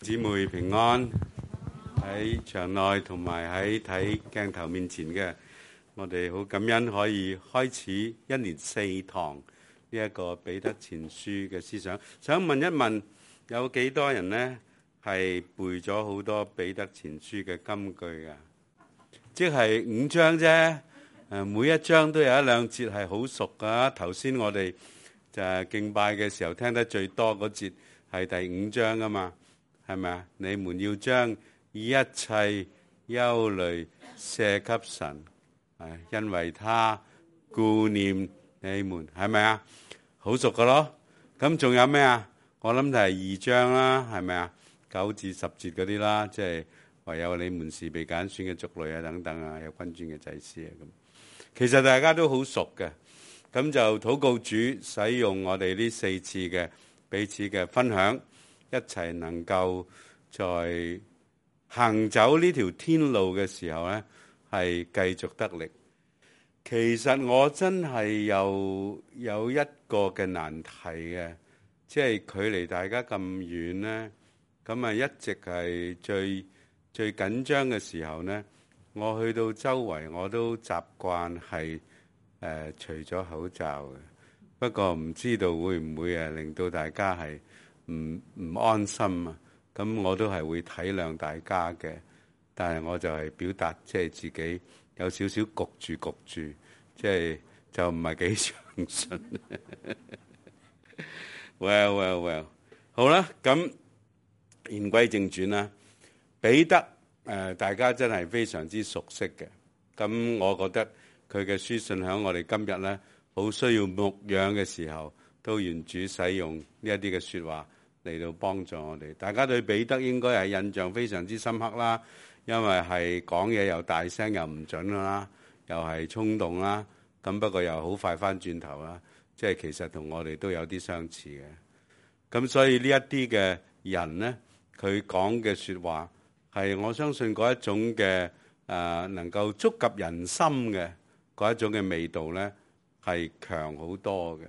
姊妹平安，喺場內同埋喺睇鏡頭面前嘅，我哋好感恩可以開始一連4堂呢一個彼得前書嘅思想。想問一問，有幾多人呢係背咗好多彼得前書嘅金句㗎？即係5章啫，每一章都有1、2節係好熟㗎。頭先我哋就係敬拜嘅時候聽得最多嗰節係第5章啊嘛。係咪啊？你們要將一切憂慮卸給神，因為他顧念你們，係咪啊？好熟噶咯。咁仲有咩啊？我諗就係2章啦，係咪啊？9至10節嗰啲啦，即係唯有你們是被揀選嘅族類啊，等等啊，有君尊嘅祭司啊咁。其實大家都好熟嘅，咁就禱告主使用我哋呢4次嘅彼此嘅分享。一齊能夠在行走呢條天路嘅時候呢，係繼續得力。其實我真係有一個嘅難題嘅，即係距離大家咁遠呢，咁啊一直係最緊張嘅時候呢，我去到周圍我都習慣係除咗口罩嘅。不過唔知道會唔會令到大家係唔安心啊？咁我都係會體諒大家嘅，但係我就係表達即係自己有少少焗住，即係就唔係幾相信。Well， 好啦，咁言歸正傳啦。彼得大家真係非常之熟悉嘅，咁我覺得佢嘅書信喺我哋今日咧好需要牧養嘅時候，都願主使用呢一啲嘅說話嚟到幫助我哋。大家對彼得應該係印象非常之深刻啦，因為係講嘢又大聲又唔準啦，又係衝動啦，咁不過又好快翻轉頭啦，即係其實同我哋都有啲相似嘅。咁所以呢一啲嘅人呢，佢講嘅說話係我相信嗰一種嘅能夠觸及人心嘅嗰一種嘅味道呢，係強好多嘅。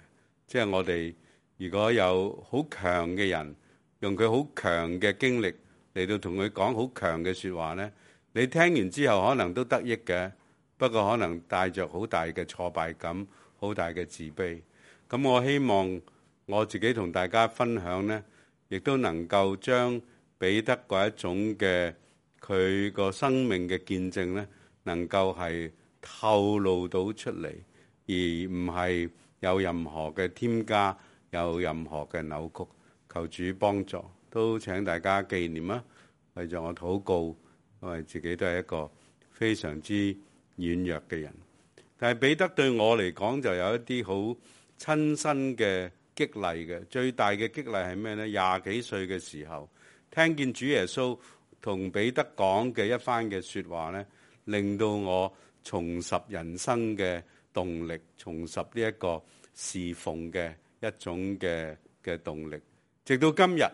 即係我哋如果有好強嘅人，用佢好強嘅經歷嚟到同佢講好強嘅說話呢，你聽完之後可能都得益嘅，不過可能帶着好大嘅挫敗感，好大嘅自卑。咁我希望我自己同大家分享呢，亦都能夠將彼得嗰一種嘅佢個生命嘅見證呢，能夠係透露到出嚟，而唔係有任何嘅添加，有任何嘅扭曲。求主幫助，都請大家紀念啊！為咗我禱告，因為自己都係一個非常之軟弱嘅人。但係彼得對我嚟講就有一啲好親身嘅激勵嘅。最大嘅激勵係咩呢？20幾歲嘅時候，聽見主耶穌同彼得講嘅一番嘅說話呢，令到我重拾人生嘅動力，重拾呢一個侍奉嘅一種嘅動力。直到今日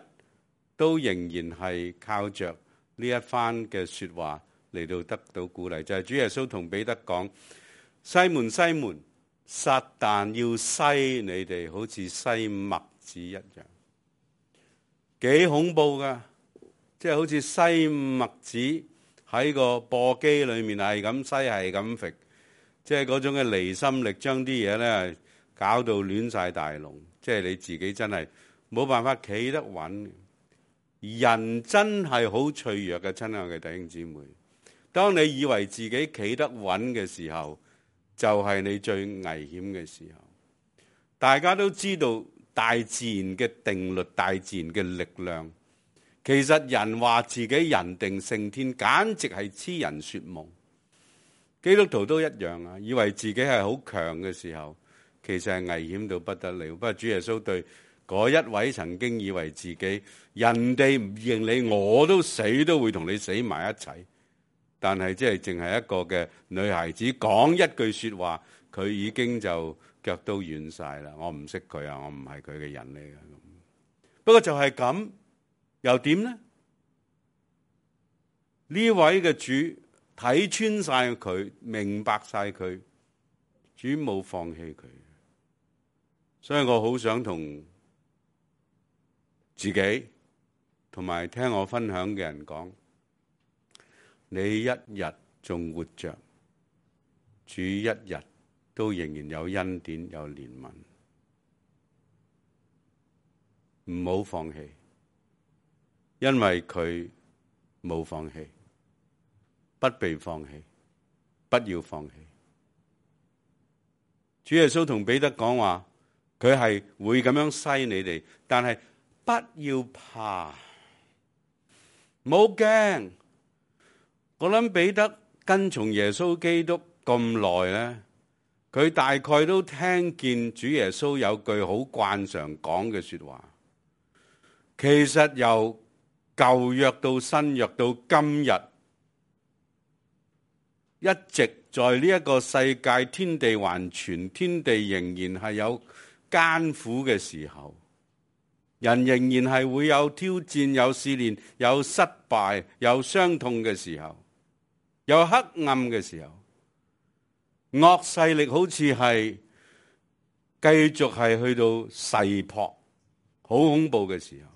都仍然係靠着呢一番嘅說話嚟到得到鼓勵，就係主耶穌同彼得講：西門西門，撒旦要篩你哋，好似篩麥子一樣。幾恐怖噶！即係好似篩麥子喺個簸箕裏面係咁篩，係咁揈，即係嗰種嘅離心力，將啲嘢咧搞到亂晒大龍。即係你自己真係冇辦法企得穩，人真係好脆弱嘅，親愛嘅弟兄姊妹。當你以為自己企得穩嘅時候，就係你最危險嘅時候。大家都知道大自然嘅定律，大自然嘅力量。其實人話自己人定勝天，簡直係痴人說夢。基督徒都一樣啊，以為自己係好強嘅時候，其實係危險到不得了。不過主耶穌對嗰一位曾經以為自己人哋唔認你，我都死都會同你死埋一齊，但係即係淨係一個嘅女孩子講一句說話，佢已經就腳都軟晒啦。我唔識佢啊，我唔係佢嘅人嚟嘅。不過就係咁，又點呢？呢位嘅主睇穿晒佢，明白晒佢，主冇放棄佢。所以我好想同自己同埋聽我分享嘅人講，你一日仲活着，主一日都仍然有恩典有憐憫，唔好放棄，因為佢冇放棄，不被放棄，不要放棄。主耶穌同彼得講話，佢係會咁樣篩你哋，但係不要怕，唔好驚。我諗彼得跟從耶穌基督咁耐咧，佢大概都聽見主耶穌有句好慣常講嘅說話。其實由舊約到新約到今日，一直在呢一個世界，天地還存，天地仍然係有艱苦嘅時候，人仍然係會有挑戰、有試煉、有失敗、有傷痛嘅時候，有黑暗嘅時候，惡勢力好似係繼續係去到勢撲，好恐怖嘅時候，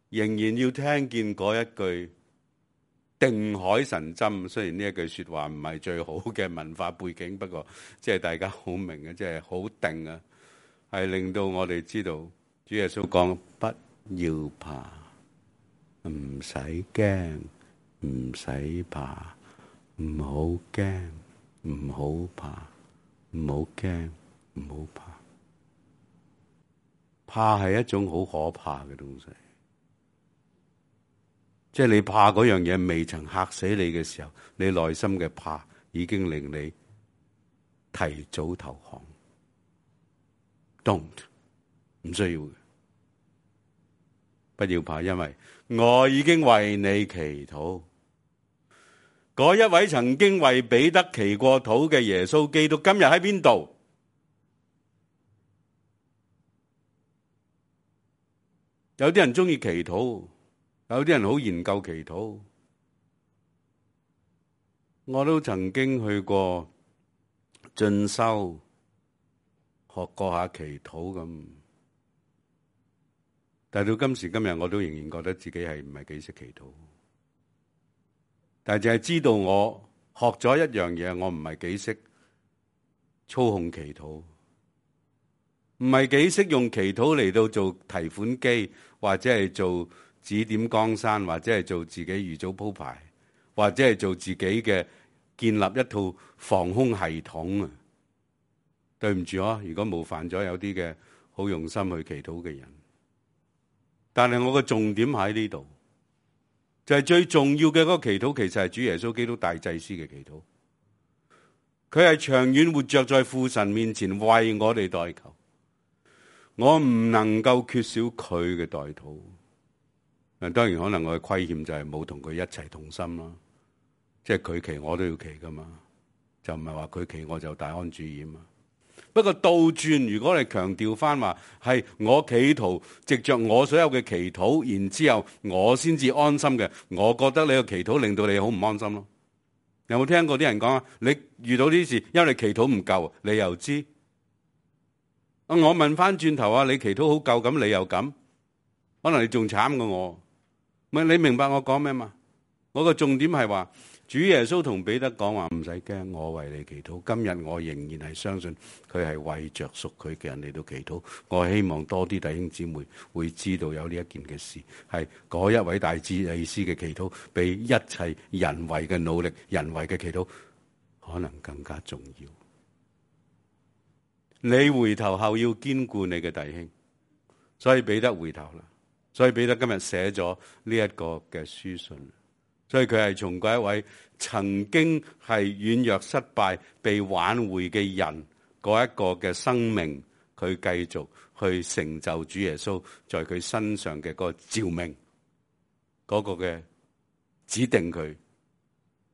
仍然要聽見嗰一句定海神針。雖然呢一句說話唔係最好嘅文化背景，不過即係大家好明嘅，即係好定啊，係令到我哋知道主耶穌講不要怕，唔使驚，唔使怕，唔好驚，唔好怕，唔好驚，唔好怕。怕係一種好可怕嘅東西。即係你怕嗰樣嘢未曾嚇死你嘅時候，你內心嘅怕已經令你提早投降。Don't， 唔需要嘅，不要怕，因為我已經為你祈禱。嗰一位曾經為彼得祈過禱嘅耶穌基督，今日喺邊度？有啲人中意祈禱，有啲人好研究祈禱，我都曾經去過進修，學過下祈禱咁，但係到今時今日，我都仍然覺得自己係唔係幾識祈禱。但係淨係知道我學咗一樣嘢，我唔係幾識操控祈禱，唔係幾識用祈禱嚟到做提款機，或者係做指點江山，或者係做自己預早鋪排，或者係做自己嘅建立一套防空系統啊！對唔住啊，如果冒犯咗有啲嘅好用心去祈禱嘅人，但係我嘅重點喺呢度，就係最重要嘅嗰個祈禱，其實係主耶穌基督大祭司嘅祈禱。佢係長遠活着在父神面前為我哋代求，我唔能夠缺少佢嘅代禱。當然可能我嘅虧欠就係冇同佢一齊同心啦，即係佢祈我都要祈噶嘛，就唔係話佢祈我就大安旨意嘛。不過倒轉，如果你強調翻話係我企圖藉着我所有嘅祈禱，然之後我先至安心嘅，我覺得你個祈禱令到你好唔安心咯。有冇聽過啲人講啊？你遇到呢啲事，因為你祈禱唔夠，你又知。我問翻轉頭啊，你祈禱好夠，咁你又咁，可能你仲慘過我。唔係，你明白我講咩嘛？我個重點係話，主耶穌同彼得講話唔使驚，我為你祈禱。今日我仍然係相信佢係為着屬佢嘅人嚟到祈禱。我希望多啲弟兄姊妹會知道有呢一件嘅事，係嗰一位大祭司嘅祈禱，比一切人為嘅努力、人為嘅祈禱可能更加重要。你回頭後要堅固你嘅弟兄，所以彼得回頭啦。所以彼得今日寫咗呢一個嘅書信，所以佢係從嗰一位曾經係軟弱失敗被挽回嘅人嗰一個嘅生命，佢繼續去成就主耶穌在佢身上嘅嗰個召命，嗰個嘅指定佢，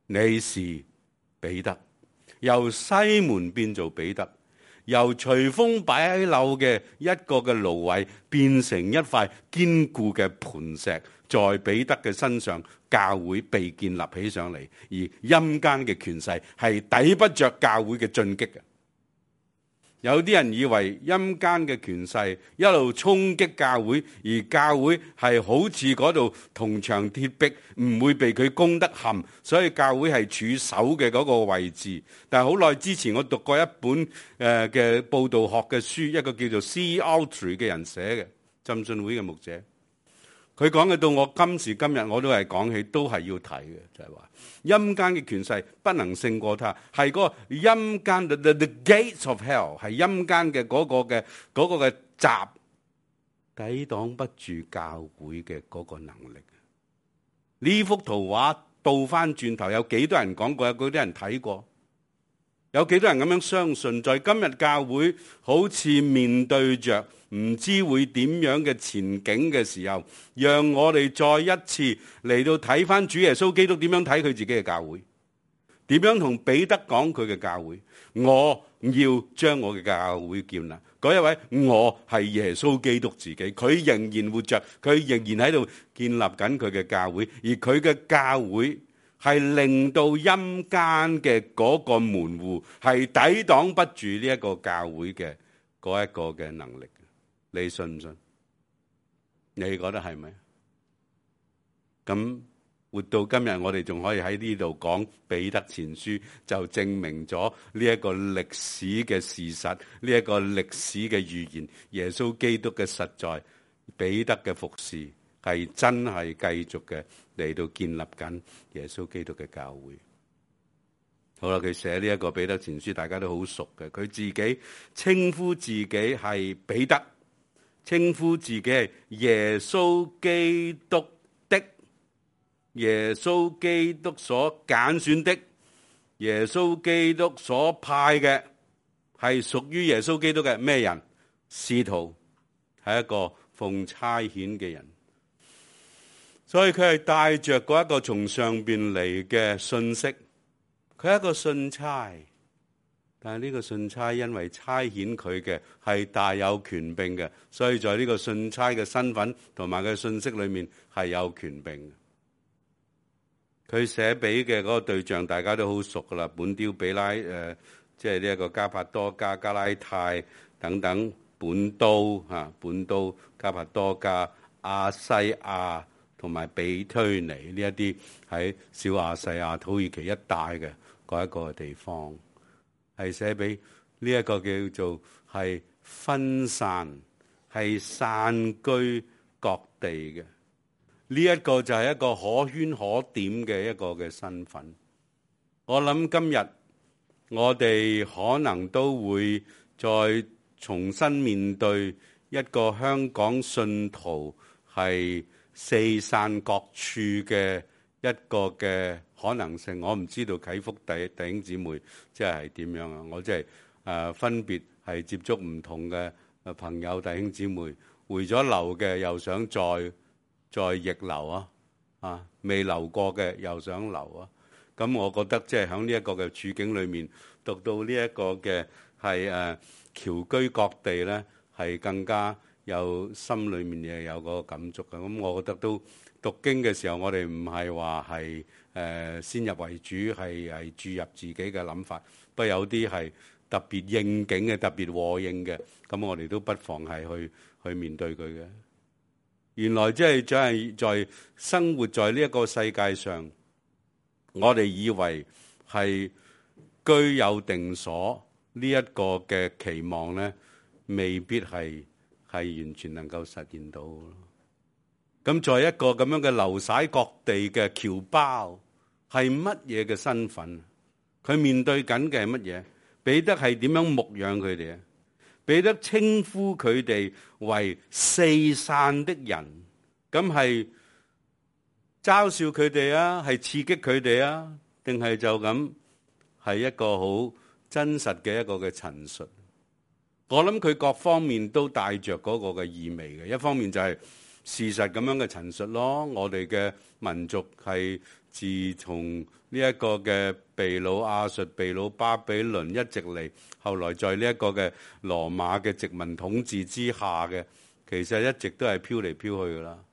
你是彼得，由西門變做彼得。由隨風擺喺樓嘅一個嘅蘆葦變成一塊堅固嘅磐石，在彼得嘅身上，教會被建立起上嚟，而陰間嘅權勢係抵不着教會嘅進擊嘅。有啲人以為陰間嘅權勢一路衝擊教會，而教會係好似嗰度銅牆鐵壁，唔會被佢攻得陷，所以教會係處守嘅嗰個位置。但係好耐之前我讀過一本嘅佈道學嘅書，一個叫做 C. Autry 嘅人寫嘅，浸信會嘅牧者，佢講嘅到我今時今日我都係講起，都係要睇嘅，就係話陰間嘅權勢不能勝過他，係嗰個陰間 the gates of hell， 係陰間嘅嗰個嘅閘，抵擋不住教會嘅嗰個能力。呢幅圖畫倒翻轉頭，有幾多人講過？有幾多人睇過？有幾多人咁樣相信？在今日教會好似面對着唔知會點樣嘅前景嘅時候，讓我哋再一次嚟到睇翻主耶穌基督點樣睇佢自己嘅教會，點樣同彼得講佢嘅教會。我要將我嘅教會建立。嗰一位我係耶穌基督自己，佢仍然活着，佢仍然喺度建立緊佢嘅教會，而佢嘅教會係令到陰間嘅嗰個門戶係抵擋不住呢一個教會嘅嗰一個嘅能力。你信唔信？你覺得係咪？咁活到今日，我哋仲可以喺呢度講彼得前書，就證明咗呢一個歷史嘅事實，呢一個歷史嘅預言，耶穌基督嘅實在，彼得嘅服侍係真係繼續嘅嚟到建立緊耶穌基督嘅教會。好啦，佢寫呢一個彼得前書，大家都好熟嘅。佢自己稱呼自己係彼得，稱呼自己係耶穌基督的，耶穌基督所揀選的，耶穌基督所派嘅，係屬於耶穌基督嘅咩人？使徒，係一個奉差遣嘅人。所以佢係帶着嗰一個從上邊嚟嘅信息，佢係一個信差。但係呢個信差因為差遣佢嘅係大有權柄嘅，所以在呢個信差嘅身份同埋嘅信息裏面係有權柄嘅。佢寫俾嘅嗰個對象大家都好熟噶啦，本丟彼拉，即係呢一個加帕多家、加拉太等等，本都加帕多家、亞西亞同埋比推尼呢一啲喺小亞細亞、土耳其一帶嘅嗰一個地方。係寫俾呢一個叫做係分散，係散居各地嘅。呢一個就係一個可圈可點嘅一個嘅身份。我諗今日我哋可能都會再重新面對一個香港信徒係四散各處嘅一個嘅可能性。我唔知道啟福弟兄姊妹即係點樣啊？我即係分別係接觸唔同嘅朋友弟兄姊妹，回咗流嘅又想再逆流啊，未流過嘅又想流啊。咁我覺得即係喺呢一個嘅處境裏面，讀到呢一個嘅係僑居各地咧，係更加有心裏面嘅有個感觸嘅。咁我覺得都讀經嘅時候，我哋唔係話係先入為主，係注入自己嘅諗法。不過有啲係特別應景嘅、特別和應嘅，咁我哋都不妨係去面對佢嘅。原來即係在生活在呢一個世界上，我哋以為係居有定所呢一個嘅期望咧，未必係完全能夠實現到。咁在一個咁樣嘅流徙各地嘅僑胞，係乜嘢嘅身份？佢面對緊嘅係乜嘢？彼得係點樣牧養佢哋啊？彼得稱呼佢哋為四散的人，咁係嘲笑佢哋啊，係刺激佢哋啊，定係就咁係一個好真實嘅一個嘅陳述？我諗佢各方面都帶着嗰個嘅意味嘅。一方面就係事實咁樣嘅陳述咯，我哋嘅民族係自從呢一個嘅被擄亞述、被擄巴比倫一直嚟，後來在呢一個嘅羅馬嘅殖民統治之下嘅，其實一直都係飄嚟飄去噶啦，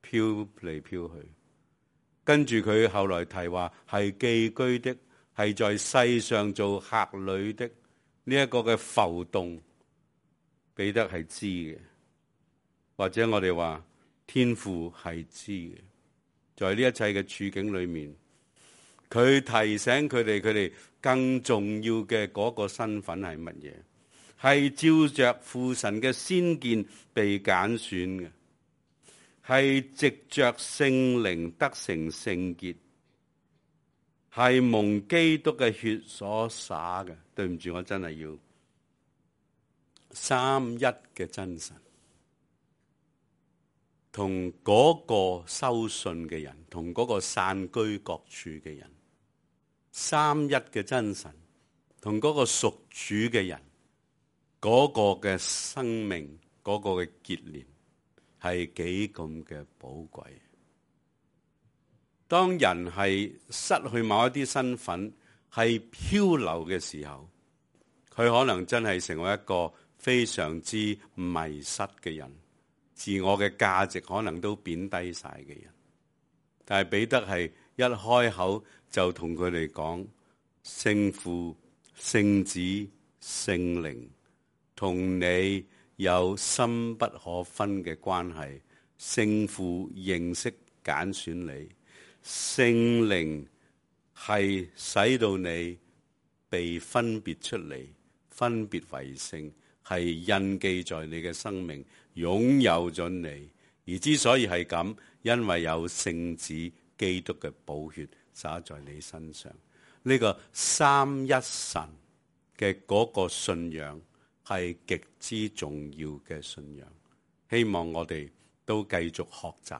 飄嚟飄去。跟住佢後來提話係寄居的，係在世上做客旅的。呢呢一個嘅浮動，彼得係知嘅，或者我哋話天父係知嘅。在呢一切嘅處境裏面，佢提醒佢哋更重要嘅嗰個身份係乜嘢？係照着父神嘅先見被揀選嘅，係藉着聖靈得成聖潔，係蒙基督嘅血所灑嘅。對唔住，我真係要三一嘅真神，同嗰個收信嘅人，同嗰個散居各處嘅人，三一嘅真神，同嗰個屬主嘅人，嗰個嘅生命，嗰個嘅結連，係幾咁嘅寶貴。當人係失去某一啲身份，係漂流嘅時候，佢可能真係成為一個非常之迷失嘅人，自我嘅價值可能都貶低晒嘅人。但係彼得係一開口就同佢哋講，聖父、聖子、聖靈同你有深不可分嘅關係。聖父認識揀選你，聖靈係使到你被分別出嚟，分別為聖，係印記在你嘅生命，擁有咗你。而之所以係咁，因為有聖子基督嘅寶血灑在你身上。呢個三一神嘅嗰個信仰係極之重要嘅信仰。希望我哋都繼續學習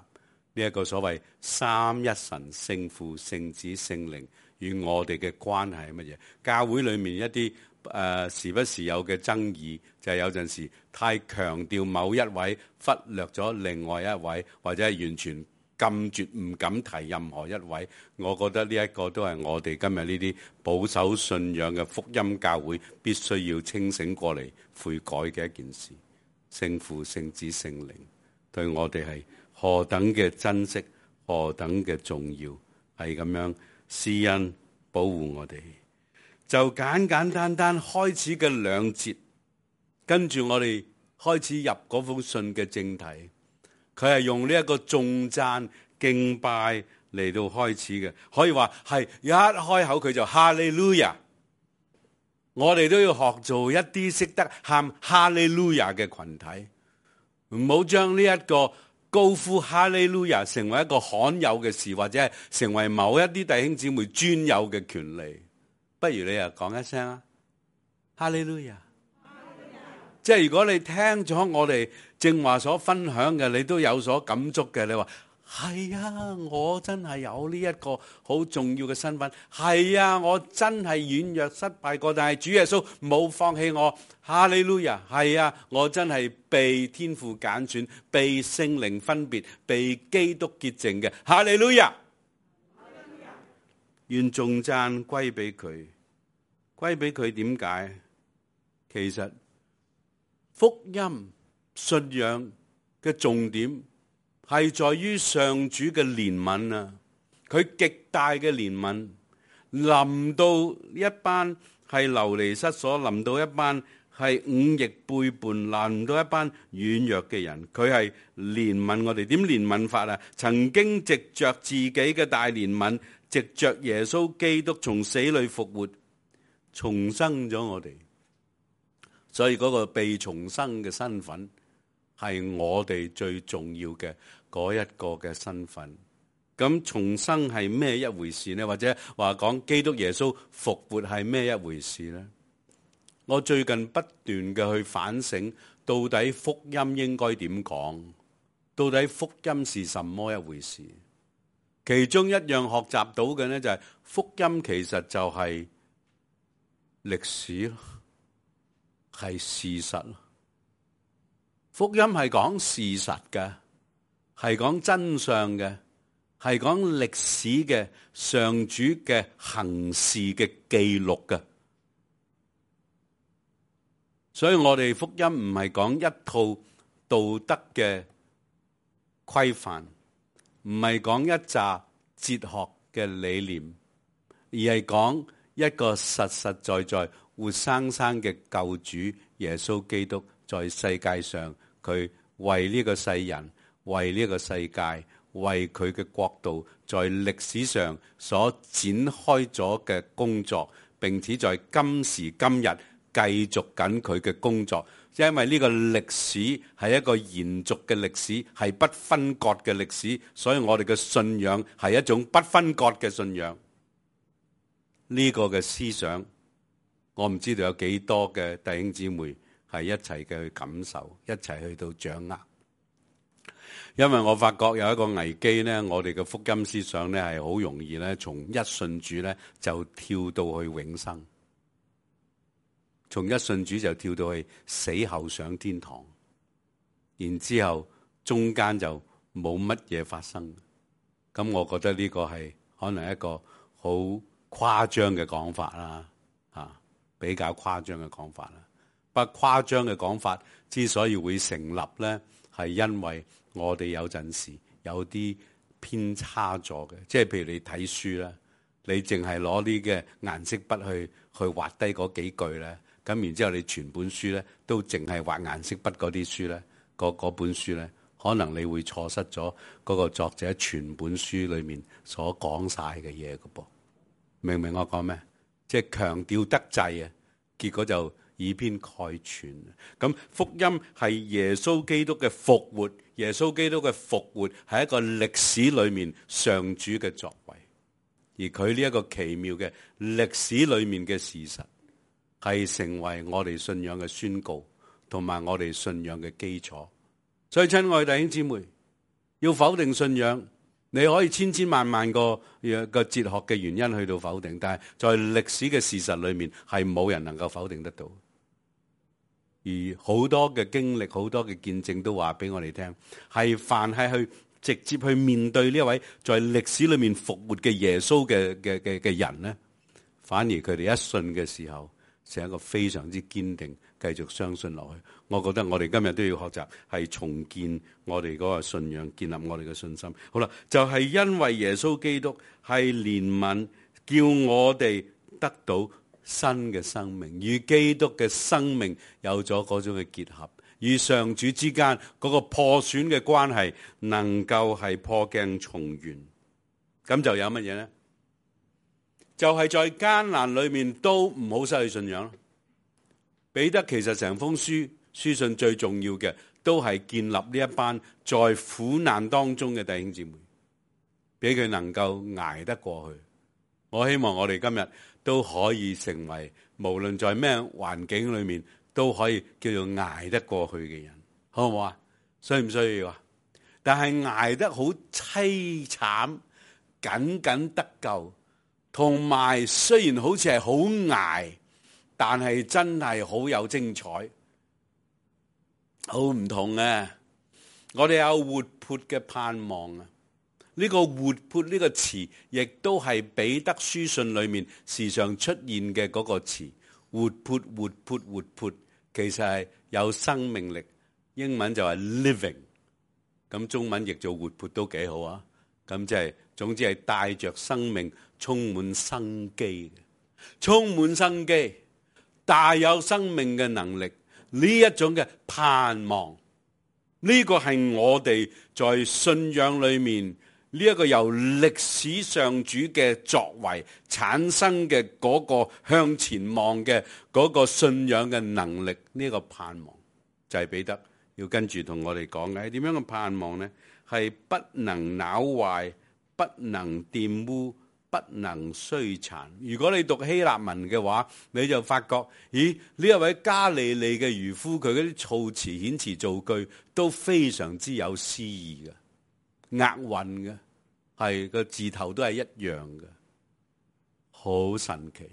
呢一個所謂三一神，聖父、聖子、聖靈與我哋嘅關係係乜嘢？教會裏面一啲時不時有嘅爭議，就係有陣時太強調某一位，忽略咗另外一位，或者係完全禁絕唔敢提任何一位。我覺得呢一個都係我哋今日呢啲保守信仰嘅福音教會必須要清醒過嚟悔改嘅一件事。聖父、聖子、聖靈對我哋係何等嘅珍惜，何等嘅重要，係咁樣施恩保護我哋。就簡簡單單開始嘅兩節，跟住我哋開始入嗰封信嘅正題。佢係用呢一個頌讚敬拜嚟到開始嘅，可以話係一開口佢就哈利路亞。我哋都要學做一啲識得喊哈利路亞嘅群體，唔好將呢一個高呼哈利路亞成為一個罕有嘅事，或者係成為某一啲弟兄姊妹專有嘅權利。不如你又講一聲啊，哈利路亞！即係如果你聽咗我哋正話所分享嘅，你都有所感觸嘅，你話係啊，我真係有呢一個好重要嘅身份。係啊，我真係軟弱失敗過，但係主耶穌冇放棄我。哈利路亞！係啊，我真係被天父揀選，被聖靈分別，被基督潔淨嘅。哈利路亞！願頌讚歸俾佢，歸俾佢。點解？其實福音信仰嘅重點係在於上主嘅憐憫啊！佢極大嘅憐憫臨到一班係流離失所，臨到一班係忤逆背叛，臨到一班軟弱嘅人，佢係憐憫我哋。點憐憫法啊？曾經藉着自己嘅大憐憫，藉着耶穌基督從死裏復活，重生咗我哋。所以嗰個被重生嘅身份係我哋最重要嘅嗰一個嘅身份。咁重生係咩一回事呢？或者話講基督耶穌復活係咩一回事呢？我最近不斷嘅去反省，到底福音應該點講？到底福音是什麼一回事？其中一樣學習到嘅呢，就係福音其實就係歷史咯，係事實咯。福音係講事實嘅，係講真相嘅，係講歷史嘅，上主嘅行事嘅記錄嘅。所以我哋福音唔係講一套道德嘅規範，唔係講一紮哲學嘅理念，而係講一個實實在在活生生嘅救主耶穌基督，在世界上佢為呢個世人、為呢個世界、為佢嘅國度，在歷史上所展開咗嘅工作，並且在今時今日繼續緊佢嘅工作。因為呢個歷史係一個延續嘅歷史，係不分割嘅歷史，所以我哋嘅信仰係一種不分割嘅信仰。呢個嘅思想，我唔知道有幾多嘅弟兄姊妹係一齊嘅去感受，一齊去到掌握。因為我發覺有一個危機呢，我哋嘅福音思想呢係好容易呢，從一信主呢就跳到去永生，從一信主就跳到去死後上天堂，然之後中間就冇乜嘢發生。咁我覺得呢個係可能一個好誇張嘅講法啦，比較誇張嘅講法啦。不過誇張嘅講法之所以會成立呢，係因為我哋有陣時有啲偏差咗嘅，即係譬如你睇書啦，你淨係攞啲嘅顏色筆去畫低嗰幾句咧，咁然之後你全本書咧都淨係畫顏色筆嗰啲書咧，嗰本書咧，可能你會錯失咗嗰個作者全本書裏面所講晒嘅嘢嘅噃。明唔明我講咩？即係強調得滯啊，結果就以偏概全。咁福音係耶穌基督嘅復活，耶穌基督嘅復活係一個歷史裏面上主嘅作為，而佢呢一個奇妙嘅歷史裏面嘅事實，係成為我哋信仰嘅宣告，同埋我哋信仰嘅基礎。所以親愛弟兄姊妹，要否定信仰，你可以千千萬萬個哲學嘅原因去到否定，但係在歷史嘅事實裏面係冇人能夠否定得到。而好多嘅經歷，好多嘅見證都話俾我哋聽，係凡係去直接去面對呢一位在歷史裏面復活嘅耶穌嘅人呢，反而佢哋一信嘅時候，成一個非常之堅定，繼續相信落去。我覺得我哋今日都要學習係重建我哋嗰個信仰，建立我哋嘅信心。好啦，就係因為耶穌基督係憐憫，叫我哋得到新嘅生命，與基督嘅生命有咗嗰種嘅結合，與上主之間嗰個破損嘅關係能夠係破鏡重圓。咁就有乜嘢呢？就係在艱難裏面都唔好失去信仰。彼得其實成封書信最重要嘅，都係建立呢一班在苦難當中嘅弟兄姊妹，俾佢能夠捱得過去。我希望我哋今日都可以成為無論在咩環境裏面都可以叫做捱得過去嘅人，好唔好啊？需唔需要啊？但係捱得好淒慘，僅僅得救，同埋雖然好似係好捱，但係真係好有精彩，好唔同啊！我哋有活潑嘅盼望啊！呢個活潑呢個詞，亦都係彼得書信裏面時常出現嘅嗰個詞，活潑活潑活潑，其實係有生命力。英文就係 living， 咁中文譯做活潑都幾好啊！咁即係總之係帶着生命，充滿生機嘅，充滿生機，大有生命嘅能力，呢一種嘅盼望，呢個係我哋在信仰裏面呢一個由歷史上主嘅作為產生嘅嗰個向前望嘅嗰個信仰嘅能力，呢個盼望就係彼得要跟住同我哋講嘅係點樣嘅盼望呢？係不能朽壞，不能玷污，不能衰殘。如果你讀希臘文嘅話，你就發覺，咦，呢一位加利利嘅漁夫，佢嗰啲措辭遣詞造句都非常之有詩意嘅。押韻嘅，係個字頭都係一樣嘅，好神奇。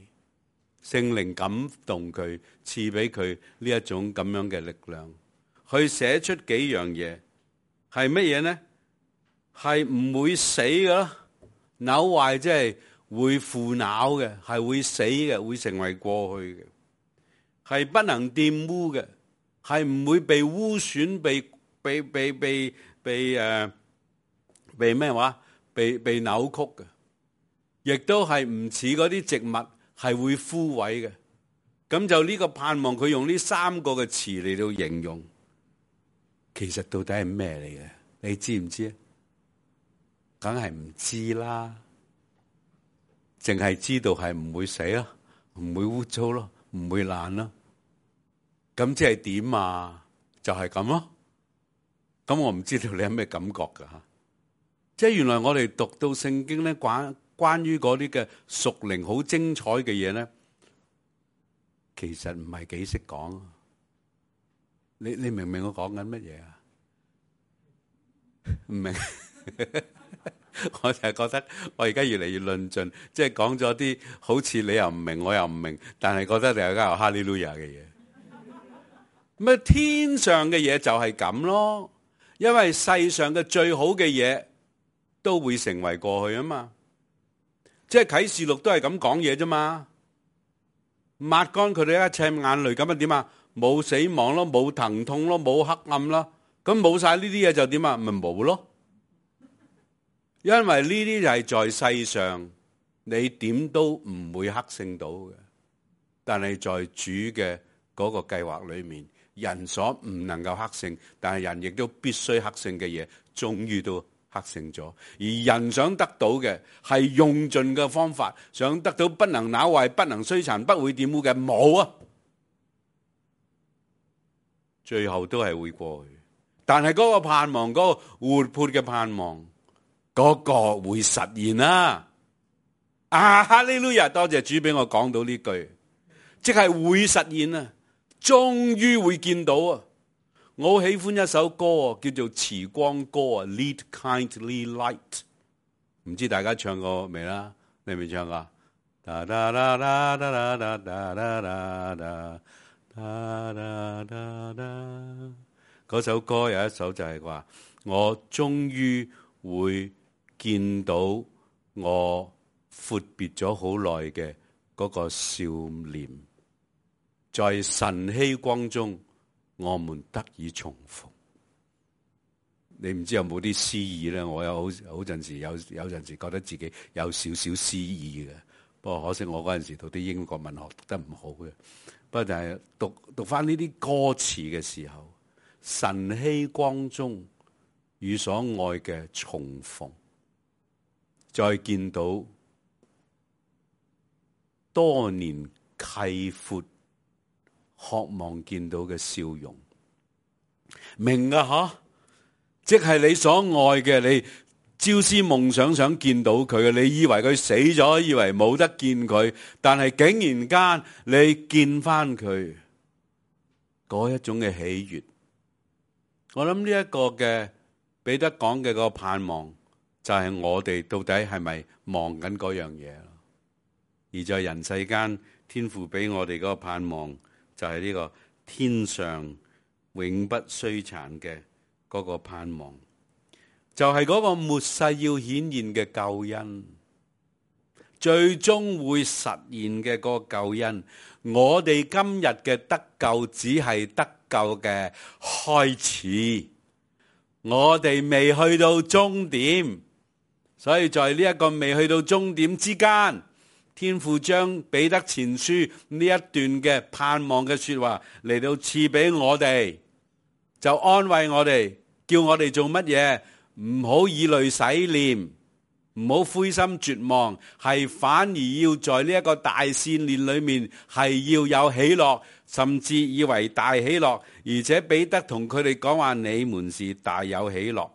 聖靈感動佢，賜俾佢呢一種咁樣嘅力量，去寫出幾樣嘢，係乜嘢呢？係唔會死㗎，朽壞即係會腐朽嘅，係會死嘅，會成為過去嘅，係不能玷污嘅，係唔會被污損、被咩話？被扭曲嘅，亦都係唔似嗰啲植物係會枯萎嘅。咁就呢個盼望，佢用呢3個嘅詞嚟到形容，其實到底係咩嚟嘅？你知唔知啊？梗係唔知啦，淨係知道係唔會死咯，唔會污糟咯，唔會爛咯。咁即係點啊？就係咁咯。咁我唔知道你有咩感覺噶吓？即係原來我哋讀到聖經咧，關於嗰啲嘅屬靈好精彩嘅嘢咧，其實唔係幾識講。你明唔明我講緊乜嘢啊？唔明。我就係覺得我而家越嚟越論盡，即係講咗啲好似你又唔明，我又唔明，但係覺得你有間有哈利路亞嘅嘢。咩天上嘅嘢就係咁咯，因為世上嘅最好嘅嘢都會成為過去啊嘛。即係啟示錄都係咁講嘢啫嘛，抹乾佢哋一切眼淚，咁啊點啊？冇死亡咯，冇疼痛咯，冇黑暗咯，咁冇晒呢啲嘢就點啊？咪冇咯。因為呢啲就係在世上你點都唔會克勝到嘅，但係在主嘅嗰個計劃裏面，人所唔能夠克勝，但係人亦都必須克勝嘅嘢，終於都克勝咗。而人想得到嘅係用盡嘅方法，想得到不能朽壞、不能摧殘、不會玷污嘅，冇啊！最後都係會過去，但係嗰個盼望，嗰個活潑嘅盼望，嗰個會實現啦！哈利路亞，多謝主俾我講到呢句，即係會實現啊！終於會見到啊！我好喜歡一首歌啊，叫做《慈光歌》啊，《Lead Kindly Light》，唔知大家唱過未啦？你未唱過？噠噠噠噠噠噠噠噠噠噠噠，嗰首歌有一首就係話，我終於會見到我闊別咗好耐嘅嗰個少年，在晨曦光中，我們得以重逢。你唔知有冇啲詩意咧？我有好陣時有陣時覺得自己有少少詩意嘅，不過可惜我嗰陣時讀啲英國文學讀得唔好嘅。不過就係讀翻呢啲歌詞嘅時候，晨曦光中與所愛嘅重逢，再見到多年契闊渴望見到嘅笑容，明啊吓，即係你所愛嘅，你朝思夢想見到佢嘅，你以為佢死咗，以為冇得見佢，但係竟然間你見翻佢嗰一種嘅喜悅。我諗呢一個嘅彼得講嘅個盼望，就係我哋到底係咪望緊嗰樣嘢？而在人世間，天父俾我哋嗰個盼望，就係呢個天上永不衰殘嘅嗰個盼望，就係嗰個末世要顯現嘅救恩，最終會實現嘅嗰個救恩。我哋今日嘅得救只係得救嘅開始，我哋未去到終點，所以在呢一個未去到終點之間，天父將彼得前書呢一段嘅盼望嘅說話嚟到賜俾我哋，就安慰我哋，叫我哋做乜嘢？唔好以淚洗臉，唔好灰心絕望，係反而要在呢一個大試煉裏面係要有喜樂，甚至以為大喜樂。而且彼得同佢哋講話，你們是大有喜樂。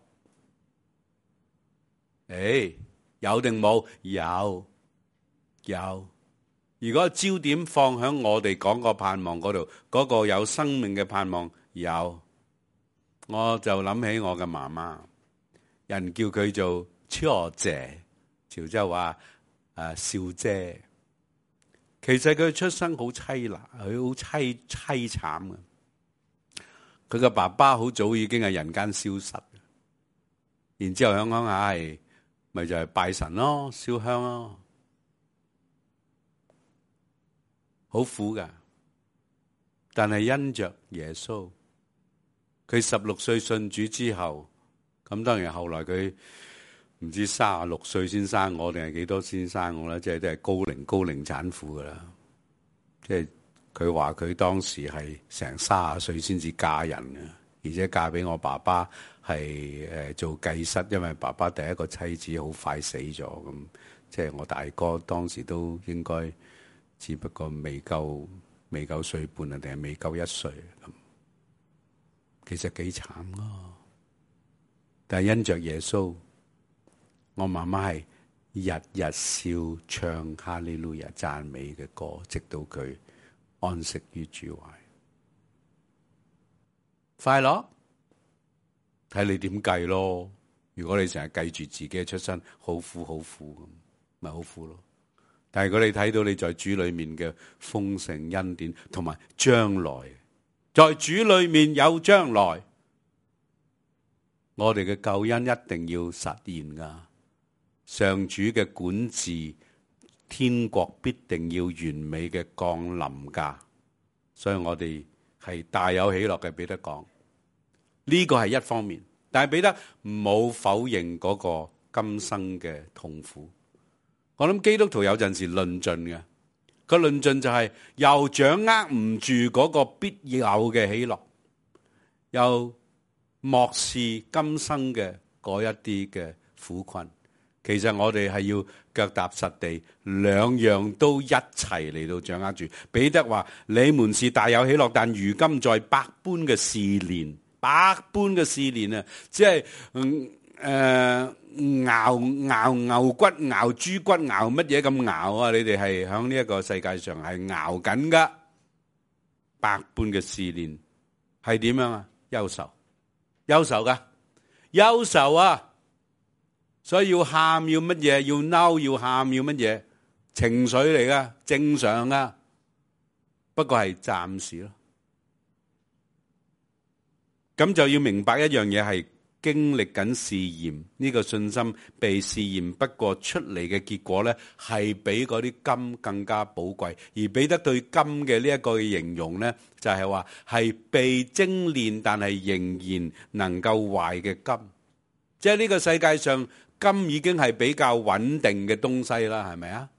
有定冇？有。如果焦點放喺我哋講個盼望嗰度，嗰個有生命嘅盼望有，我就諗起我嘅媽媽，人叫佢做超姐，潮州話少姐。其實佢出生好淒難，佢好淒慘嘅。佢嘅爸爸好早已經係人間消失，然之後香港係咪就係拜神咯，燒香咯，好苦噶。但係因着耶穌，佢16歲信主之後，咁當然後來佢唔知36歲先生我定係幾多先生我啦，即係都係高齡產婦噶啦，即係佢話佢當時係成30歲先至嫁人嘅，而且嫁俾我爸爸係做繼室，因為爸爸第一個妻子好快死咗，咁即係我大哥當時都應該只不過未夠歲半啊，定係未夠1歲咁，其實幾慘咯。但係因着耶穌，我媽媽係日日笑唱哈利路亞讚美嘅歌，直到佢安息於主懷。快樂睇你點計咯。如果你成日計住自己嘅出身，好苦好苦咁，咪好苦咯。但係如果你睇到你在主裏面嘅豐盛恩典，同埋將來在主裏面有將來，我哋嘅救恩一定要實現噶。上主嘅管治，天國必定要完美嘅降臨噶。所以我哋係大有喜樂嘅。彼得講呢個係一方面，但係彼得冇否認嗰個今生嘅痛苦。我諗基督徒有陣時論盡嘅，個論盡就係又掌握唔住嗰個必有嘅喜樂，又漠視今生嘅嗰一啲嘅苦困。其實我哋係要腳踏實地，兩樣都一齊嚟到掌握住。彼得話：你們是大有喜樂，但如今在百般嘅試煉，啊，即係熬牛骨、熬豬骨、熬乜嘢咁熬啊！你哋係響呢一個世界上係熬緊噶，百般嘅試煉係點樣啊？憂愁噶，憂愁啊！所以要喊要乜嘢？要嬲要喊要乜嘢？情緒嚟噶，正常噶，不過係暫時咯。咁就要明白一樣嘢，係經歷緊試驗，呢個信心被試驗，不過出嚟嘅結果咧，係比嗰啲金更加寶貴。而彼得對金嘅呢一個形容咧，就係話係被精煉，但係仍然能夠壞嘅金。即係呢個世界上，金已經係比較穩定嘅東西啦，係咪啊？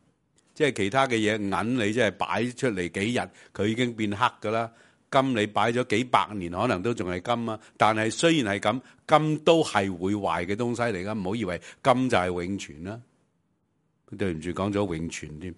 即係其他嘅嘢，銀你即係擺出嚟幾日，佢已經變黑噶啦。金你擺咗幾百年，可能都仲係金啊。但係雖然係咁，金都係會壞嘅東西嚟噶，唔好以為金就係永存啦。對唔住，講咗永存添。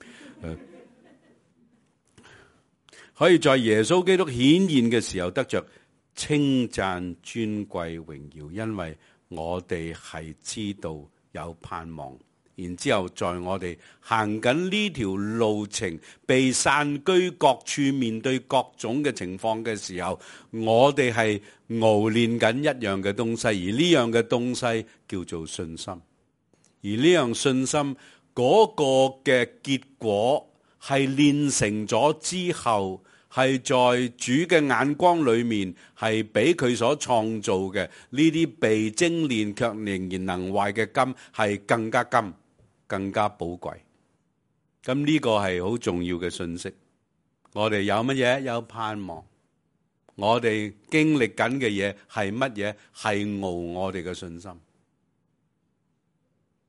可以在耶穌基督顯現嘅時候得着稱讚、尊貴、榮耀，因為我哋係知道有盼望，然之後在我哋行緊呢條路程，被散居各處，面對各種嘅情況嘅時候，我哋係熬練緊一樣嘅東西，而呢樣嘅東西叫做信心。而呢樣信心嗰個嘅結果係練成咗之後，係在主嘅眼光裏面，係比佢所創造嘅呢啲被精煉卻仍然能壞嘅金係更加金，更加寶貴。咁呢個係好重要嘅信息。我哋有乜嘢？有盼望。我哋經歷緊嘅嘢係乜嘢？係熬我哋嘅信心。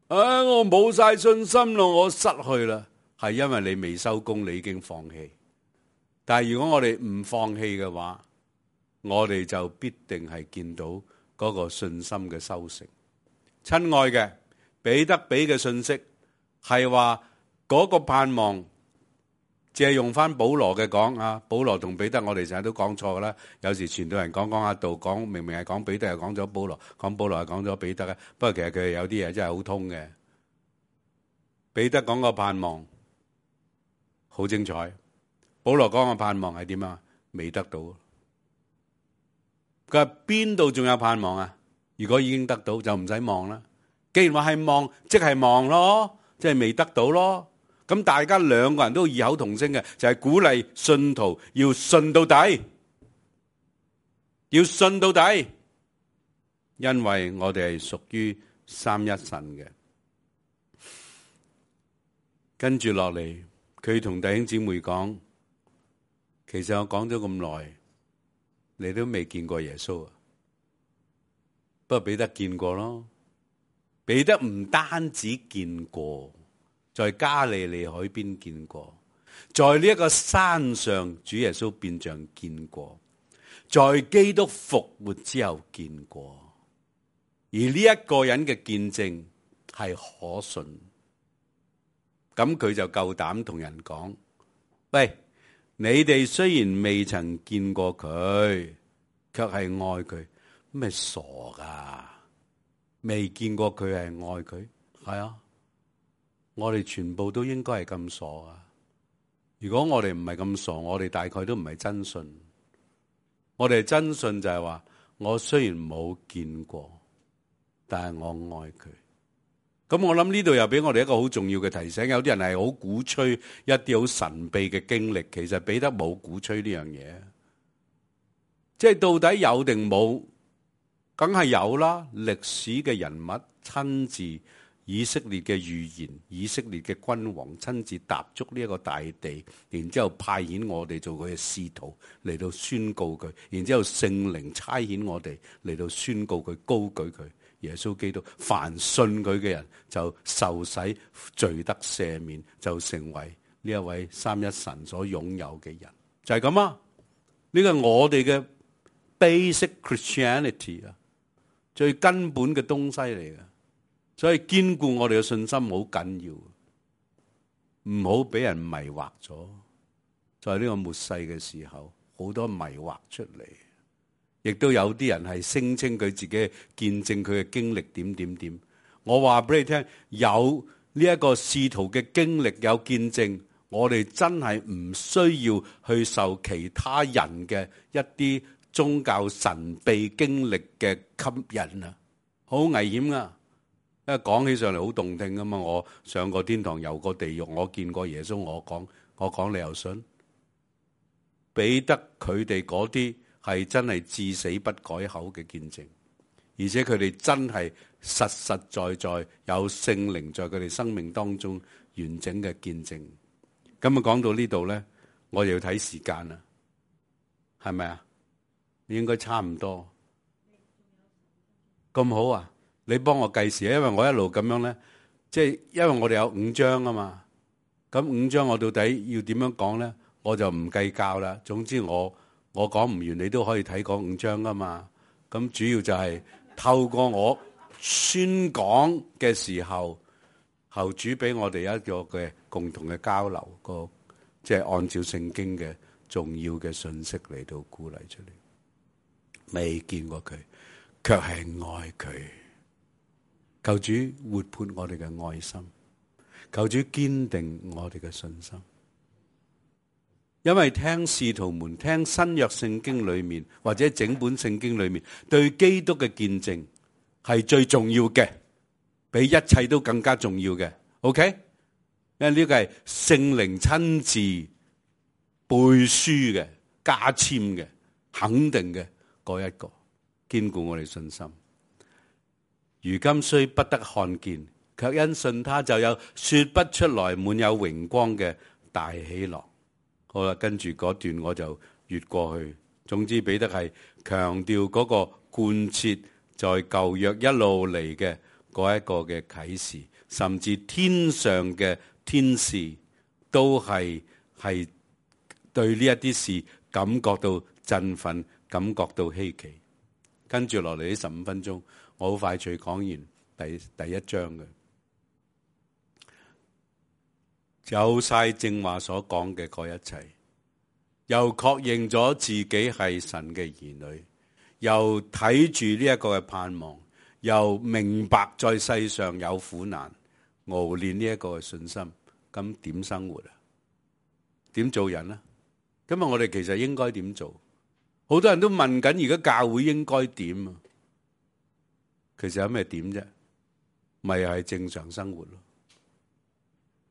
我冇晒信心咯，我失去啦。係因為你未收工，你已經放棄。但係如果我哋唔放棄嘅話，我哋就必定係見到嗰個信心嘅收成。親愛嘅，彼得俾嘅信息係話嗰個盼望，借用翻保羅嘅講啊，保羅同彼得我哋成日都講錯噶啦。有時傳道人講下道，講明明係講彼得，又講咗保羅，講保羅又講咗彼得嘅。不過其實佢哋有啲嘢真係好通嘅。彼得講個盼望好精彩。保羅講嘅盼望係點啊？未得到。佢話邊度仲有盼望啊？如果已經得到就唔使望啦。既然話係望，即係望咯，即係未得到咯。咁大家兩個人都異口同聲嘅，就係鼓勵信徒要信到底，要信到底，因為我哋係屬於三一神嘅。跟住落嚟，佢同弟兄姊妹講。其實我講咗咁耐，你都未見過耶穌啊？不過彼得見過咯。彼得唔單止見過，在加利利海邊見過，在呢一個山上，主耶穌變像見過，在基督復活之後見過，而呢一個人嘅見證係可信，咁佢就夠膽同人講：喂，你哋雖然未曾見過佢，卻係愛佢，咩傻噶？未見過佢係愛佢？係啊，我哋全部都應該係咁傻啊！如果我哋唔係咁傻，我哋大概都唔係真信。我哋真信就係話，我雖然冇見過，但係我愛佢。咁我諗呢度又俾我哋一個好重要嘅提醒。有啲人係好鼓吹一啲好神秘嘅經歷，其實彼得冇鼓吹呢樣嘢。即係到底有定冇？梗係有啦。歷史嘅人物親自，以色列嘅預言，以色列嘅君王親自踏足呢一個大地，然之後派遣我哋做佢嘅使徒嚟到宣告佢，然之後聖靈差遣我哋嚟到宣告佢，高舉佢。耶穌基督，凡信佢嘅人就受洗，罪得赦免，就成為呢一位三一神所擁有嘅人，就係咁啊！呢個係我哋嘅 basic Christianity 啊，最根本嘅東西嚟嘅，所以堅固我哋嘅信心好緊要，唔好俾人迷惑咗。在呢個末世嘅時候，好多迷惑出嚟。亦都有啲人係聲稱佢自己見證佢嘅經歷點點點。我話俾你聽，有呢一個使徒嘅經歷有見證，我哋真係唔需要去受其他人嘅一啲宗教神秘經歷嘅吸引啊，好危險啊！因為講起上嚟好動聽噶嘛，我上過天堂，遊過地獄，我見過耶穌，我講你又信？彼得佢哋嗰啲係真係至死不改口嘅見證，而且佢哋真係實實在在有聖靈在佢哋生命當中完整嘅見證。咁啊，講到呢度咧，我又要睇時間啦，係咪啊？應該差唔多。咁好啊！你幫我計時，因為我一路咁樣咧，即係因為我哋有5章啊嘛。咁5章我到底要點樣講咧？我就唔計較啦。總之我講唔完，你都可以睇嗰5章噶嘛。咁主要就係透過我宣講嘅時候，後主俾我哋一個嘅共同嘅交流，即係按照聖經嘅重要嘅信息嚟到鼓勵出嚟。未見過佢，卻係愛佢。求主活潑我哋嘅愛心，求主堅定我哋嘅信心。因為聽使徒們聽新約聖經裏面或者整本聖經裏面對基督嘅見證係最重要嘅，比一切都更加重要嘅。OK？ 因為呢個係聖靈親自背書嘅、加簽嘅、肯定嘅嗰一個，堅固我哋信心。如今雖不得看見，卻因信他就有說不出來滿有榮光嘅大喜樂。好啦，跟住嗰段我就越過去。總之彼得係強調嗰個貫徹在舊約一路嚟嘅嗰一個嘅啟示，甚至天上嘅天使都係對呢一啲事感覺到振奮，感覺到稀奇。跟住落嚟呢15分鐘，我好快脆講完第一章嘅，有晒正話所講嘅嗰一切，又確認咗自己係神嘅兒女，又睇住呢一個嘅盼望，又明白在世上有苦難，熬練呢一個嘅信心，咁點生活啊？點做人啊？今日我哋其實應該點做？好多人都問緊，而家教會應該點啊？其實有咩點啫？咪係正常生活咯。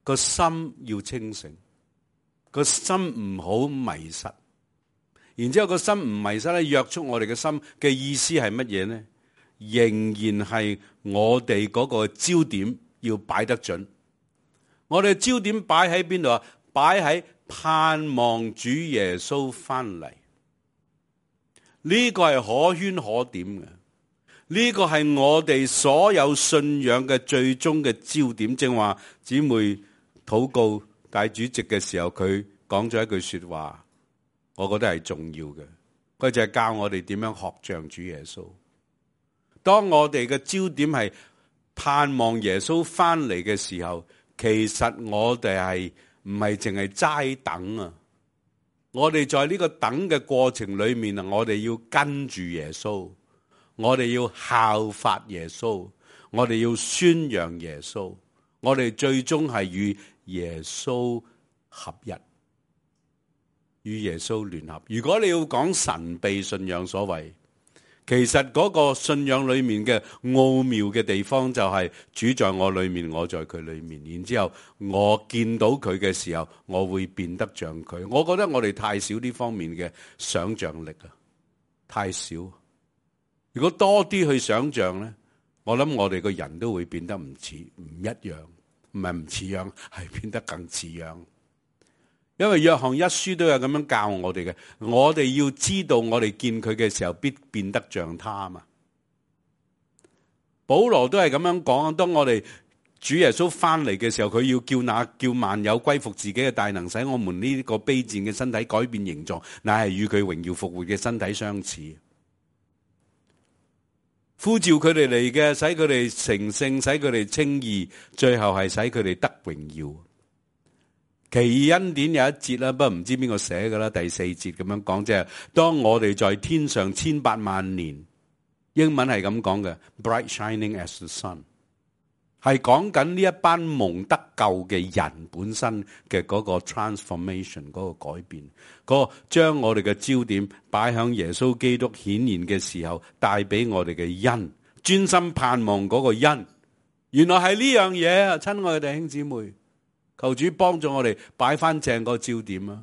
個心要清醒，個心唔好迷失。然之後個心唔迷失咧，約束我哋嘅心嘅意思係乜嘢呢？仍然係我哋嗰個焦點要擺得準。我哋焦點擺喺邊度啊？擺喺盼望主耶穌翻嚟。呢個係可圈可點嘅，呢個係我哋所有信仰嘅最終嘅焦點。正話姊妹禱告，大主席嘅時候，佢講咗一句說話，我覺得係重要嘅。佢就係教我哋點樣學像主耶穌。當我哋嘅焦點係盼望耶穌翻嚟嘅時候，其實我哋係唔係淨係齋等啊？我哋在呢個等嘅過程裏面啊，我哋要跟住耶穌，我哋要效法耶穌，我哋要宣揚耶穌，我哋最終係與耶穌合一，與耶穌聯合。如果你要講神秘信仰所謂，其實嗰個信仰裏面嘅奧妙嘅地方就係主在我裏面，我在佢裏面，然之後我見到佢嘅時候，我會變得像佢。我覺得我哋太少呢方面嘅想像力啊，太少。如果多啲去想像呢，我諗我哋個人都會變得唔一樣，唔係唔似樣，係變得更似樣。因為約翰一書都有咁樣教我哋嘅，我哋要知道我哋見佢嘅時候必變得像他嘛。保羅都係咁樣講，當我哋主耶穌翻嚟嘅時候，佢要叫萬有歸服自己嘅大能，使我們呢個卑賤嘅身體改變形狀，乃係與佢榮耀復活嘅身體相似。呼召佢哋嚟嘅，使佢哋成聖，使佢哋稱義，最後係使佢哋得榮耀。奇異恩典有一節啦，不過唔知邊個寫㗎啦，第4節咁樣講，即係當我哋在天上千百萬年，英文係咁講嘅 ，bright shining as the sun， 係講緊呢一班蒙得救嘅人本身嘅嗰個 transformation， 嗰個改變，嗰個將我哋嘅焦點擺響耶穌基督顯現嘅時候，帶俾我哋嘅恩，專心盼望嗰個恩，原來係呢樣嘢啊！親愛嘅弟兄姊妹。求主幫助我哋擺翻正個焦點啊！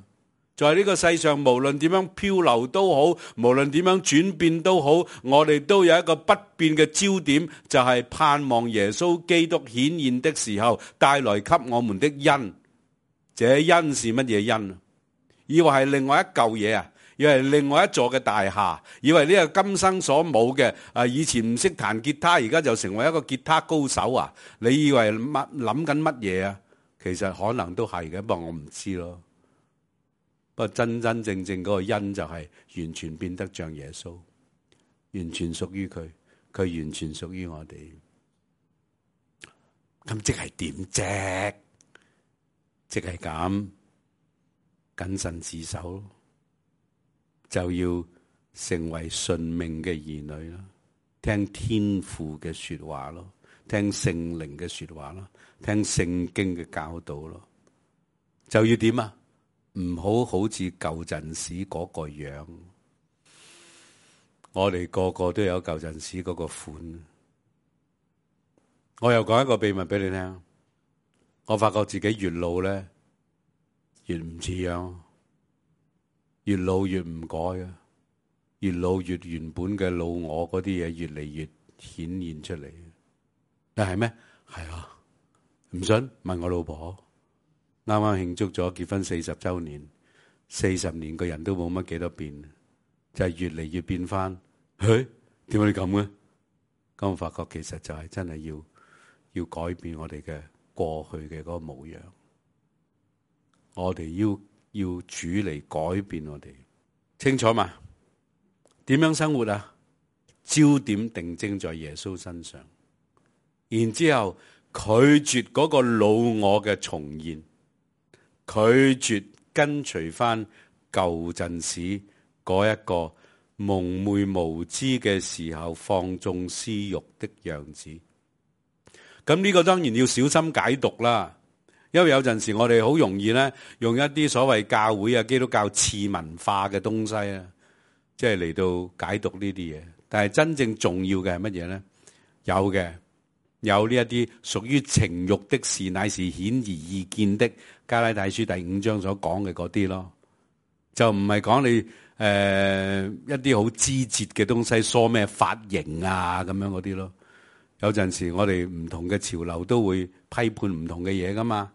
在呢個世上，無論點樣漂流都好，無論點樣轉變都好，我哋都有一個不變嘅焦點，就係盼望耶穌基督顯現的時候帶來給我們的恩。這恩是乜嘢恩？以為係另外一嚿嘢啊？以為係另外一座嘅大廈？以為呢個今生所冇嘅以前唔識彈吉他，而家就成為一個吉他高手啊？你以為諗緊乜嘢啊？其實可能都係嘅，不過我唔知咯。不過真真正正嗰個恩就係完全變得像耶穌，完全屬於佢，佢完全屬於我哋。咁即係點啫？即係咁謹慎自守，就要成為順命嘅兒女啦，聽天父嘅說話咯，聽聖靈嘅說話咯，聽聖經嘅教導咯，就要點啊？唔好好似舊陣時嗰個樣，我哋個個都有舊陣時嗰個款。我又講一個秘密俾你聽，我發覺自己越老咧，越唔似樣，越老越唔改啊，越老越原本嘅老我嗰啲嘢越嚟越顯現出嚟。但係咩？係啊。唔信問我老婆，啱啱慶祝咗結婚40週年，40年個人都冇乜幾多變，就係越嚟越變翻。點解你咁嘅？咁我發覺其實就係真係要改變我哋嘅過去嘅嗰個模樣，我哋要主嚟改變我哋，清楚嘛？點樣生活啊？焦點定睛在耶穌身上，然之後拒絕嗰個老我嘅重現，拒絕跟隨翻舊陣時嗰一個蒙昧無知嘅時候放縱私欲的樣子。咁呢個當然要小心解讀啦，因為有陣時我哋好容易咧用一啲所謂教會啊基督教次文化嘅東西啊，即係嚟到解讀呢啲嘢。但係真正重要嘅係乜嘢咧？有呢一啲屬於情慾的事，乃是顯而易見的。加拉太書第5章所講嘅嗰啲咯，就唔係講你一啲好枝節嘅東西，梳咩髮型啊咁樣嗰啲咯。有陣時我哋唔同嘅潮流都會批判唔同嘅嘢噶嘛，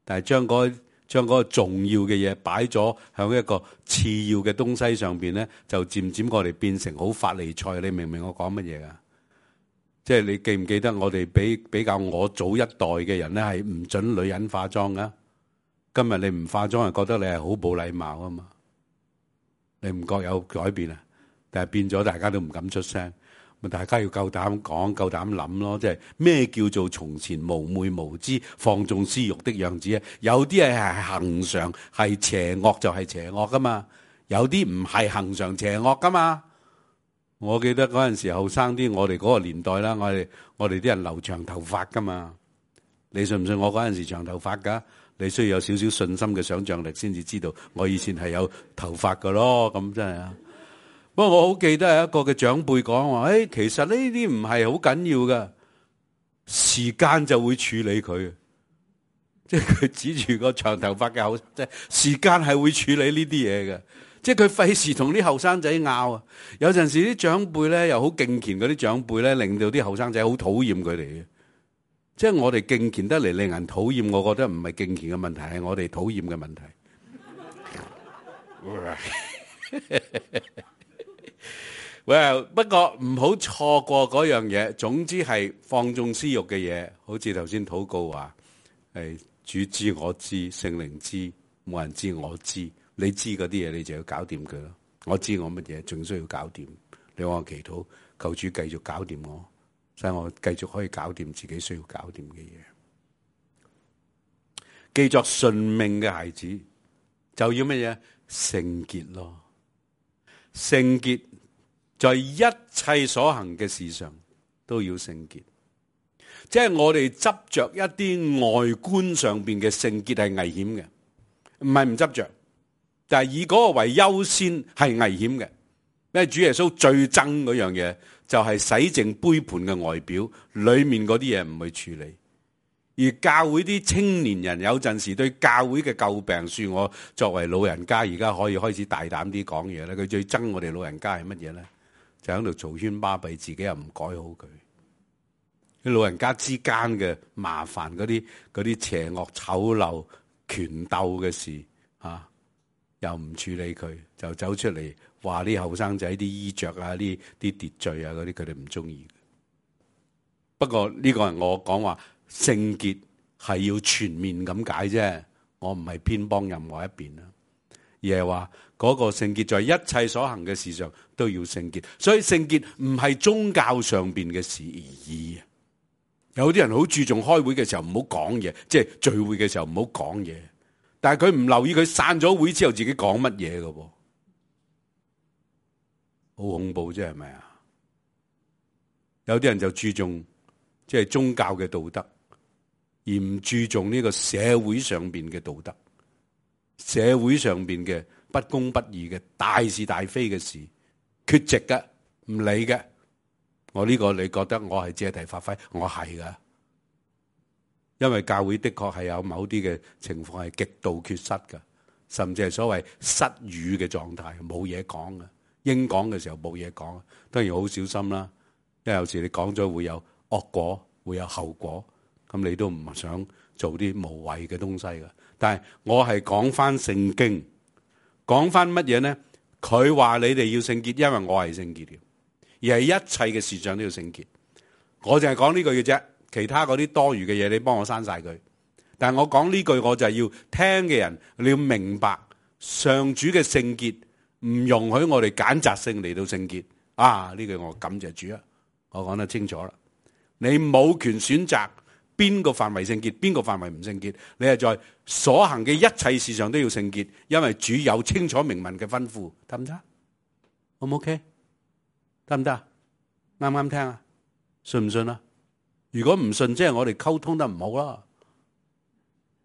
但係將嗰個重要嘅嘢擺咗喺一個次要嘅東西上邊咧，就漸漸我哋變成好法利賽。你明唔明我講乜嘢啊？即係你記唔記得我哋比較我早一代嘅人咧，係唔准女人化妝噶，今日你唔化妝，係覺得你係好冇禮貌啊嘛？你唔覺有改變啊？但係變咗，大家都唔敢出聲。咪大家要夠膽講，夠膽諗咯。即係咩叫做從前無昧無知、放縱私欲的樣子啊？有啲係恒常係邪惡就係邪惡噶嘛，有啲唔係恒常邪惡噶嘛。我記得嗰陣時後生啲，我哋嗰個年代啦，我哋啲人留長頭髮噶嘛。你信唔信我嗰陣時長頭髮噶？你需要有少少信心嘅想像力先至知道我以前係有頭髮噶咯。咁真係啊！不過我好記得係一個嘅長輩講話，其實呢啲唔係好緊要噶，時間就會處理佢。即係佢指住個長頭髮嘅後生仔，時間係會處理呢啲嘢嘅。即係佢費事同啲後生仔拗啊！有陣時啲長輩咧又好敬虔，嗰啲長輩咧令到啲後生仔好討厭佢哋嘅。即係我哋敬虔得嚟令人討厭，我覺得唔係敬虔嘅問題，係我哋討厭嘅問題。Well， 不過唔好錯過嗰樣嘢。總之係放縱私欲嘅嘢，好似頭先禱告話，係主知我知，聖靈知，冇人知我知。你知嗰啲嘢，你就要搞掂佢咯。我知我乜嘢，仲需要搞掂。你話我祈禱，求主繼續搞掂我，使我繼續可以搞掂自己需要搞掂嘅嘢。記作順命嘅孩子，就要乜嘢？聖潔咯，聖潔。在一切所行嘅事上都要聖潔，即係我哋執着一啲外觀上邊嘅聖潔係危險嘅，唔係唔執着，但係以嗰個為優先係危險嘅。因為主耶穌最憎嗰樣嘢就係洗淨杯盤嘅外表，裏面嗰啲嘢唔去處理。而教會啲青年人有陣時對教會嘅詬病，恕我作為老人家而家可以開始大膽啲講嘢咧。佢最憎我哋老人家係乜嘢咧？就喺度嘈喧巴閉，自己又唔改好佢。啲老人家之間嘅麻煩，嗰啲邪惡醜陋權鬥嘅事又唔處理佢，就走出嚟話啲後生仔啲衣着啊、啲秩序啊嗰啲，佢哋唔中意。不過呢個係我講話聖潔係要全面咁解啫，我唔係偏幫任何一邊啦，而係話嗰個聖潔在一切所行嘅事上都要聖潔。所以聖潔唔係宗教上邊嘅事而已。有啲人好注重開會嘅時候唔好講嘢，即係聚會嘅時候唔好講嘢，但係佢唔留意佢散咗會之後自己講乜嘢㗎喎，好恐怖啫，係咪啊？有啲人就注重即係宗教嘅道德，而唔注重呢個社會上邊嘅道德，社會上邊嘅不公不義嘅大是大非嘅事，缺席嘅，唔理嘅。我呢個你覺得我係借題發揮？我係噶，因為教會的確係有某啲嘅情況係極度缺失噶，甚至係所謂失語嘅狀態，冇嘢講嘅，應講嘅時候冇嘢講，當然好小心啦。因為有時你講咗會有惡果，會有後果，咁你都唔想做啲無謂嘅東西噶。但係我係講翻聖經，講翻乜嘢呢？佢話你哋要聖潔，因為我係聖潔嘅。而係一切嘅事上都要聖潔，我淨係講呢句嘅啫，其他嗰啲多餘嘅嘢你幫我刪晒佢。但係我講呢句，我就係要聽嘅人你要明白，上主嘅聖潔唔容許我哋揀擇性嚟到聖潔啊！呢句我感謝主啊，我講得清楚啦。你冇權選擇邊個範圍聖潔，邊個範圍唔聖潔，你係在所行嘅一切事上都要聖潔，因為主有清楚明文嘅吩咐，得唔得？好唔 OK？得唔得？啱唔啱聽啊？信唔信啊？如果唔信，即係我哋溝通得唔好啦，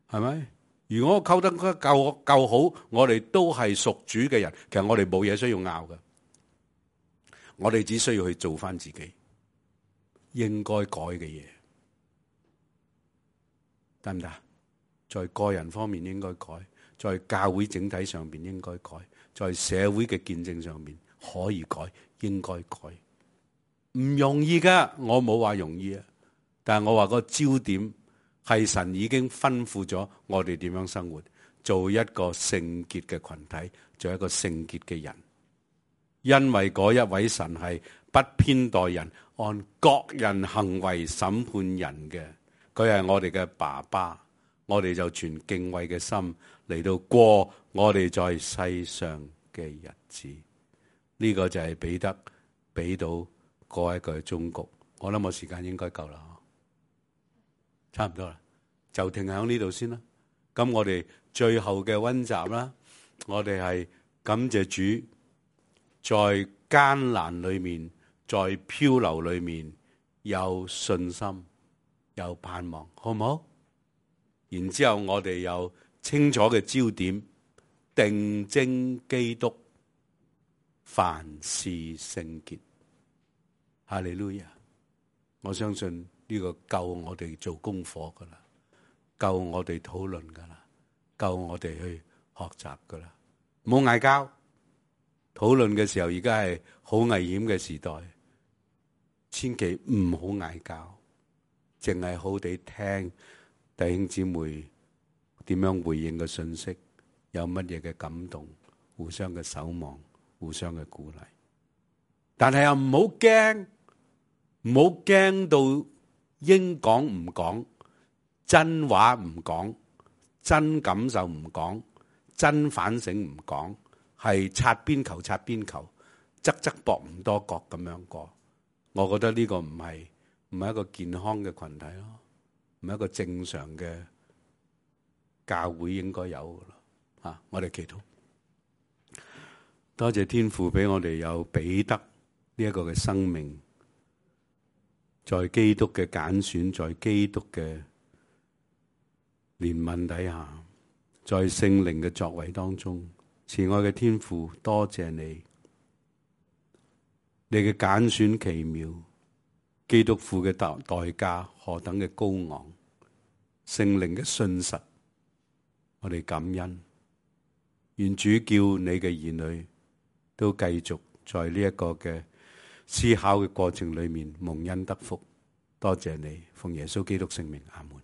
係咪？如果我溝得夠好，我哋都係屬主嘅人，其實我哋冇嘢需要拗嘅，我哋只需要去做翻自己應該改嘅嘢，得唔得？在個人方面應該改，在教會整體上邊應該改，在社會嘅見證上面可以改。應該改，唔容易噶，我冇話容易啊，但係我話個焦點係神已經吩咐咗我哋點樣生活，做一個聖潔嘅群體，做一個聖潔嘅人。因為嗰一位神係不偏待人，按各人行為審判人嘅，佢係我哋嘅爸爸，我哋就存敬畏嘅心嚟到過我哋在世上嘅日子。呢個就係彼得俾到嗰一個忠告。我諗我時間應該夠啦，差唔多啦，就停喺呢度先啦。咁我哋最後嘅溫習啦，我哋係感謝主，在艱難裏面，在漂流裏面有信心，有盼望，好唔好？然之後我哋有清楚嘅焦點，定睛基督，凡事聖潔。哈利路亞！我相信呢個夠我哋做功課噶啦，夠我哋討論噶啦，夠我哋去學習噶啦。唔好嗌交，討論嘅時候而家係好危險嘅時代，千祈唔好嗌交，淨係好地聽弟兄姊妹點樣回應嘅信息，有乜嘢嘅感動，互相嘅守望，互相嘅鼓勵。但係又唔好驚，唔好驚到應講唔講，真話唔講，真感受唔講，真反省唔講，係擦邊球擦邊球，側側膊唔多角咁樣過。我覺得呢個唔係一個健康嘅群體咯，唔係一個正常嘅教會應該有嘅咯。我哋祈禱，多謝天父俾我哋有彼得呢一個嘅生命，在基督嘅揀選，在基督嘅憐憫底下，在聖靈嘅作為當中，慈愛嘅天父，多謝你，你嘅揀選奇妙，基督付嘅代價何等嘅高昂，聖靈嘅信實，我哋感恩。願主叫你嘅兒女都繼續在呢一個嘅思考嘅過程裏面蒙恩得福。多謝你，奉耶穌基督聖名，阿門。